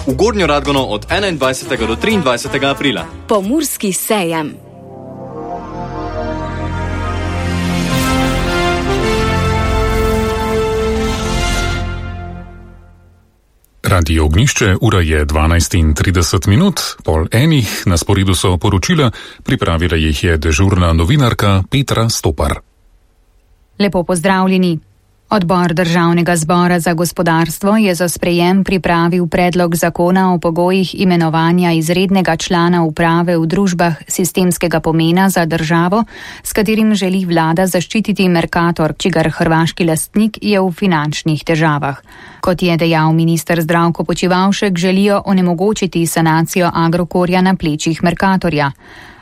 v Gornjo Radgono od 21. do 23. aprila. Pomurski sejem. Radio Ognjišče, ura je 12:30, pol enih, na sporedu so poročila, pripravila jih je dežurna novinarka Petra Stopar. Lepo pozdravljeni. Odbor Državnega zbora za gospodarstvo je za sprejem pripravil predlog zakona o pogojih imenovanja izrednega člana uprave v družbah sistemskega pomena za državo, s katerim želi vlada zaščititi Mercator, čigar hrvaški lastnik je v finančnih težavah. Kot je dejal minister Zdravko Počivalšek, želijo onemogočiti sanacijo Agrokorja na plečih Mercatorja.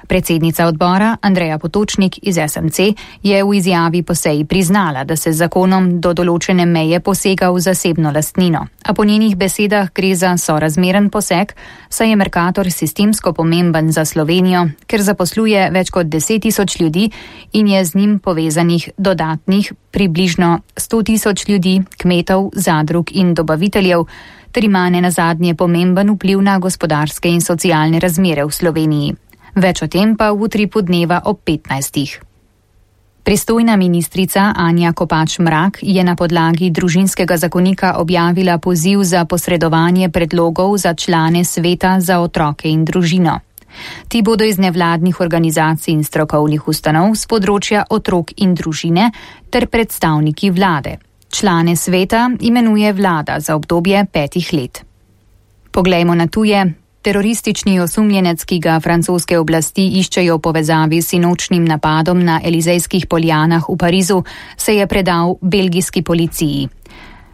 Predsednica odbora Andreja Potočnik iz SMC je v izjavi po seji priznala, da se z zakonom do določene meje posega v zasebno lastnino. A po njenih besedah gre za sorazmeren poseg, saj je Mercator sistemsko pomemben za Slovenijo, ker zaposluje več kot 10.000 ljudi in je z njim povezanih dodatnih približno 100.000 ljudi, kmetov, zadrug in dobaviteljev, ter ima nenazadnje pomemben vpliv na gospodarske in socialne razmere v Sloveniji. Več o tem pa v utripu dneva ob 15. Pristojna ministrica Anja Kopač Mrak je na podlagi družinskega zakonika objavila poziv za posredovanje predlogov za člane sveta za otroke in družino. Ti bodo iz nevladnih organizacij in strokovnih ustanov z področja otrok in družine ter predstavniki vlade. Člane sveta imenuje vlada za obdobje 5 let. Poglejmo na tuje. Teroristični osumljenec, ki ga francoske oblasti iščejo v povezavi s sinočnim napadom na Elizejskih poljanah v Parizu, se je predal belgijski policiji.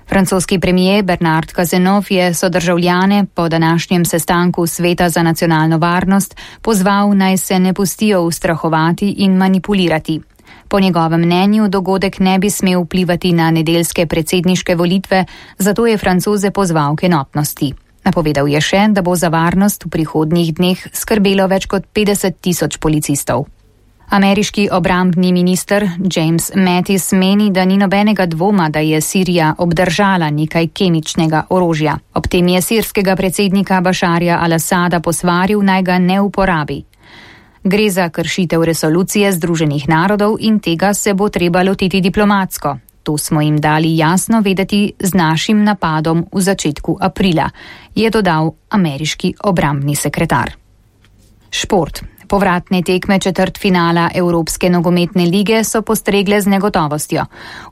Francoski premier Bernard Cazeneuve je sodržavljane po današnjem sestanku Sveta za nacionalno varnost pozval, naj se ne pustijo ustrahovati in manipulirati. Po njegovem mnenju dogodek ne bi smel vplivati na nedeljske predsedniške volitve, zato je Francoze pozval k enotnosti. Napovedal je še, da bo za varnost v prihodnjih dneh skrbelo več kot 50.000 policistov. Ameriški obrambni minister James Mattis meni, da ni nobenega dvoma, da je Sirija obdržala nekaj kemičnega orožja. Ob tem je sirskega predsednika Bašarja al-Asada posvaril, naj ga ne uporabi. Gre za kršitev resolucije Združenih narodov in tega se bo treba lotiti diplomatsko. To smo jim dali jasno vedeti z našim napadom v začetku aprila, je dodal ameriški obrambni sekretar. Šport. Povratne tekme četrtfinala Evropske nogometne lige so postregle z negotovostjo.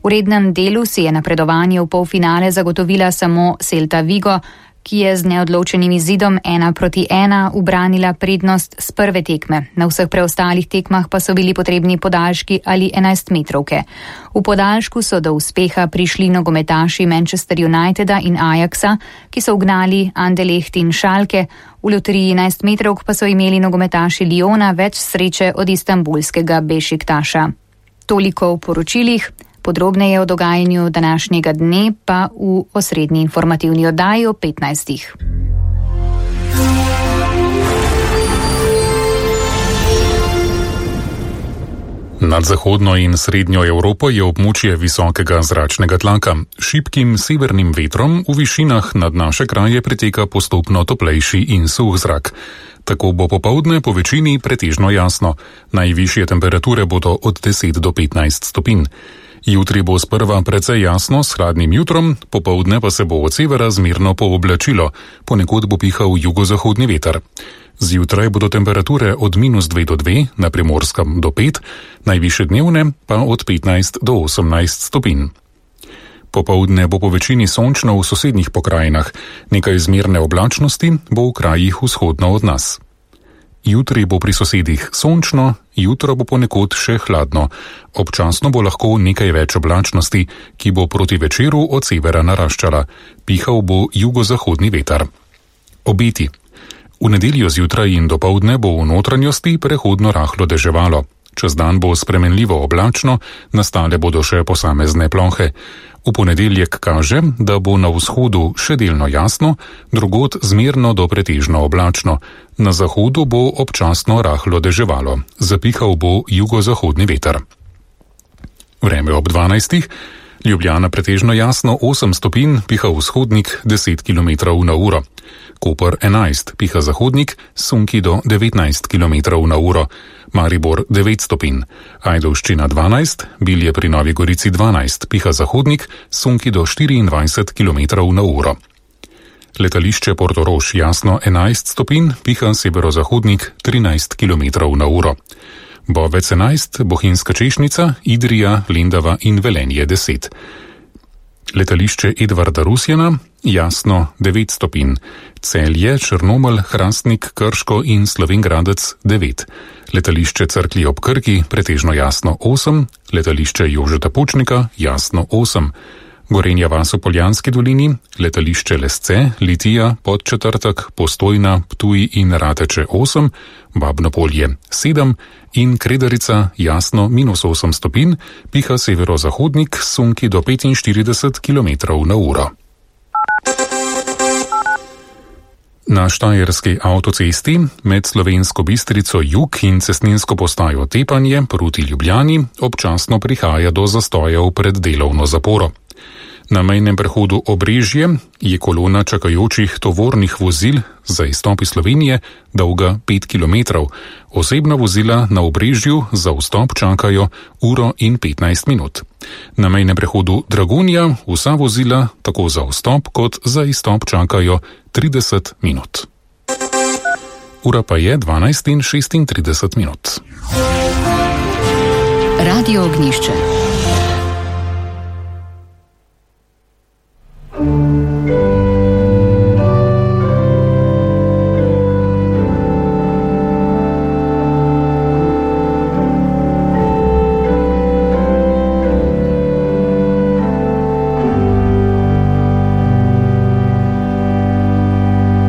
V rednem delu si je napredovanje v polfinale zagotovila samo Celta Vigo, ki je z neodločenim izidom 1-1 ubranila prednost z prve tekme. Na vseh preostalih tekmah pa so bili potrebni podaljški ali 11-metrovke. V podaljšku so do uspeha prišli nogometaši Manchester Uniteda in Ajaxa, ki so ugnali Anderlecht in Schalke, v loteriji 11-metrovk pa so imeli nogometaši Lyona več sreče od istanbulskega Bešiktaša. Toliko v poročilih. Podrobneje o dogajanju današnjega dne pa v osrednji informativni oddaji o 15. Nad zahodno in srednjo Evropo je območje visokega zračnega tlaka. Šibkim severnim vetrom v višinah nad naše kraje preteka postopno toplejši in suh zrak. Tako bo popoldne po večini pretežno jasno. Najvišje temperature bodo od 10 do 15 stopinj. Jutri bo sprva precej jasno s hladnim jutrom, popoldne pa se bo od severa zmerno pooblačilo, ponekod bo pihal jugozahodni veter. Zjutraj bodo temperature od -2 do 2, na Primorskem do 5, najvišje dnevne pa od 15 do 18 stopinj. Popoldne bo po večini sončno v sosednjih pokrajinah, nekaj zmerne oblačnosti bo v krajih vzhodno od nas. Jutri bo pri sosedih sončno, jutro bo ponekod še hladno. Občasno bo lahko nekaj več oblačnosti, ki bo proti večeru od severa naraščala. Pihal bo jugozahodni veter. Obeti. V nedeljo zjutraj in dopoldne bo v notranjosti prehodno rahlo deževalo. Čez dan bo spremenljivo oblačno, nastale bodo še posamezne plohe. V ponedeljek kaže, da bo na vzhodu še delno jasno, drugod zmerno do pretežno oblačno. Na zahodu bo občasno rahlo deževalo. Zapihal bo jugozahodni veter. Vreme ob 12. Ljubljana pretežno jasno 8 stopinj, piha vzhodnik 10 km/h. Koper 11, piha zahodnik, sunki do 19 km/h. Maribor 9 stopinj. Ajdovščina 12, Bilje pri Novi Gorici 12, piha zahodnik, sunki do 24 km/h. Letališče Portorož jasno 11 stopinj, piha severozahodnik 13 km/h. Bovec 11, Bohinjska Češnica, Idrija, Lendava in Velenje 10. Letališče Edvarda Rusjana jasno 9 stopinj. Celje, Črnomelj, Hrastnik, Krško in Slovenj Gradec 9. Letališče Cerklje ob Krki pretežno jasno 8, letališče Jožeta Pučnika jasno 8. Gorenja vas v Poljanski dolini, letališče Lesce, Litija, Podčetrtek, Postojna, Ptuj in Rateče 8, Babno Polje 7 in Kredarica jasno -8 stopinj, piha severozahodnik, sunki do 45 km/h. Na Štajerski avtocesti med Slovensko Bistrico jug in cestninsko postajo Tepanje proti Ljubljani občasno prihaja do zastojev pred delovno zaporo. Na mejnem prehodu Obrežje je kolona čakajočih tovornih vozil za izstop iz Slovenije dolga 5 km. Osebna vozila na Obrežju za vstop čakajo 1:15 minut. Na mejnem prehodu Dragonja vsa vozila tako za vstop kot za izstop čakajo 30 minut. Ura pa je 12:36 minut. Radio Ognjišče.